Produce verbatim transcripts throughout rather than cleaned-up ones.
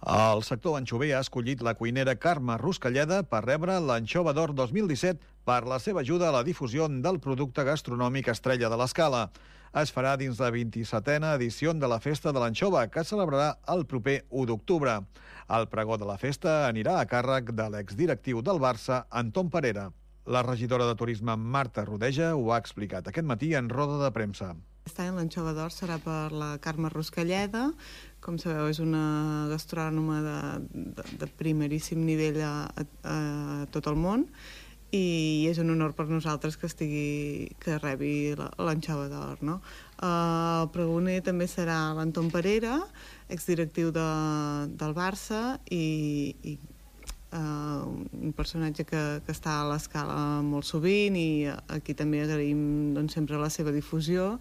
El sector anxover ha escollit la cuinera Carme Ruscalleda per rebre l'Anxova d'Or dos mil disset per la seva ajuda a la difusió del producte gastronòmic estrella de l'Escala. Es farà dins la vint-i-setena edició de la Festa de l'Anxova, que es celebrarà el proper u d'octubre. El pregó de la festa anirà a càrrec de l'exdirectiu del Barça, Anton Parera. La regidora de Turisme, Marta Rodeja, ho ha explicat aquest matí en roda de premsa. Aquest any l'Anxova d'Or serà per la Carme Ruscalleda. Com sabeu, és una gastrònoma de, de, de primeríssim nivell a, a, a tot el món, i és un honor per nosaltres que estigui que rebi l'Anxova d'Or, no? Uh, el pregoner també serà l'Anton Parera, exdirectiu de, del Barça, i, i Uh, un personatge que, que està a l'Escala molt sovint, i aquí també agraïm doncs, sempre la seva difusió,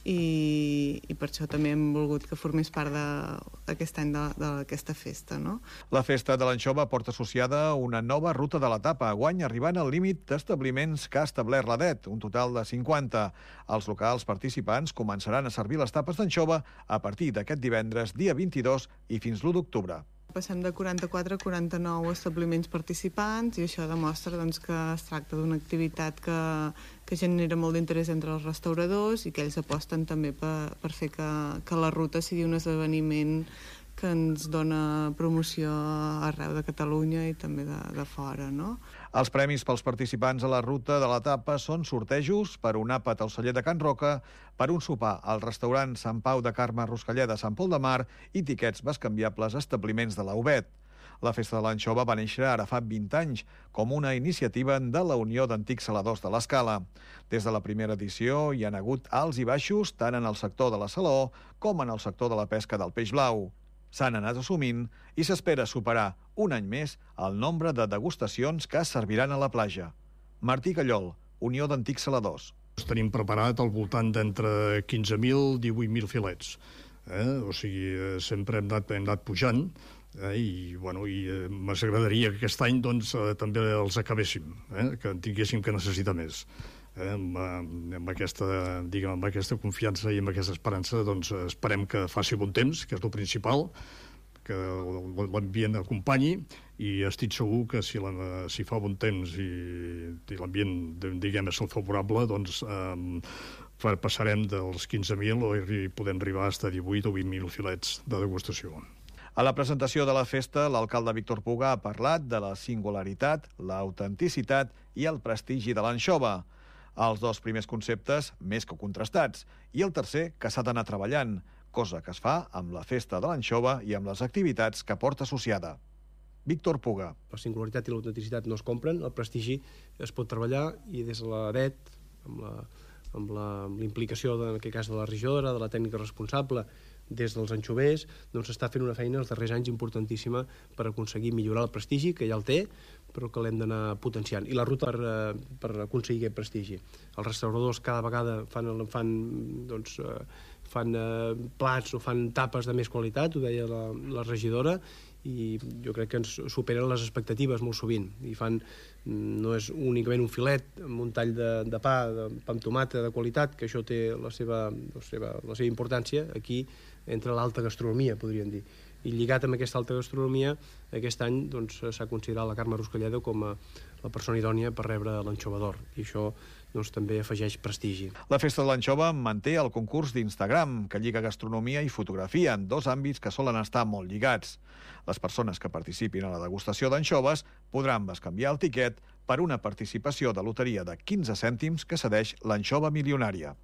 i, i per això també hem volgut que formés part d'aquest any d'aquesta festa, no? La festa de l'Anxova porta associada una nova ruta de l'etapa, guany arribant al límit d'establiments que ha establert l'A D E T, un total de cinquanta. Els locals participants començaran a servir les tapes d'anxova a partir d'aquest divendres, dia vint-i-dos, i fins l'u d'octubre. Passem de quaranta-quatre a quaranta-nou establiments participants, i això demostra doncs, que es tracta d'una activitat que, que genera molt d'interès entre els restauradors, i que ells aposten també per, per fer que, que la ruta sigui un esdeveniment que ens dona promoció arreu de Catalunya i també de, de fora, no? Els premis pels participants a la ruta de l'etapa són sortejos per un àpat al celler de Can Roca, per un sopar al restaurant Sant Pau de Carme Ruscalleda a Sant Pol de Mar i tiquets bescanviables a establiments de la U B E T. La Festa de l'Anxova va néixer ara fa vint anys com una iniciativa de la Unió d'Antics Saladors de l'Escala. Des de la primera edició hi han hagut alts i baixos tant en el sector de la salador com en el sector de la pesca del peix blau. S'han anat assumint i s'espera superar un any més el nombre de degustacions que es serviran a la platja. Martí Callol, Unió d'Antics Saladors. Tenim preparat al voltant d'entre quinze mil i divuit mil filets. Eh? O sigui, sempre hem anat, hem anat pujant, eh? i, bueno, i eh, m'agradaria que aquest any doncs, eh, també els acabéssim, eh? que en tinguéssim que necessitar més. Eh? Amb, amb, aquesta, diguem, amb aquesta confiança i amb aquesta esperança doncs, esperem que faci bon temps, que és el principal, que l'ambient acompanyi, i estic segur que si, la, si fa bon temps i, i l'ambient, diguem, és el favorable, doncs eh, passarem dels quinze mil i podem arribar fins a divuit o vint mil filets de degustació. A la presentació de la festa, l'alcalde Víctor Puga ha parlat de la singularitat, l'autenticitat i el prestigi de l'anxova. Els dos primers conceptes, més que contrastats, i el tercer, que s'ha d'anar treballant, cosa que es fa amb la Festa de l'Anxova i amb les activitats que porta associada. Víctor Puga. La singularitat i l'autenticitat no es compren, el prestigi es pot treballar, i des de l'A D E T, amb la, amb la, amb l'implicació, en aquest cas, de la regidora, de la tècnica responsable, des dels anxovers, doncs s'està fent una feina els darrers anys importantíssima per aconseguir millorar el prestigi, que ja el té, però que l'hem d'anar potenciant. I la ruta per, per aconseguir aquest prestigi. Els restauradors cada vegada fan, fan, doncs, fan eh, plats o fan tapes de més qualitat, ho deia la, la regidora, i jo crec que ens superen les expectatives molt sovint, i fan, no és únicament un filet amb un tall de, de pa, de pa amb tomata de qualitat, que això té la seva, la seva, la seva importància. Aquí entra l'alta gastronomia, podríem dir, i lligat amb aquesta alta gastronomia, aquest any doncs, s'ha considerat la Carme Ruscalleda com a la persona idònia per rebre l'Anxova d'Or, i això doncs, també afegeix prestigi. La Festa de l'Anxova manté el concurs d'Instagram, que lliga gastronomia i fotografia en dos àmbits que solen estar molt lligats. Les persones que participin a la degustació d'anxoves podran bescanviar el tiquet per una participació de loteria de quinze cèntims que cedeix l'Anxova Milionària.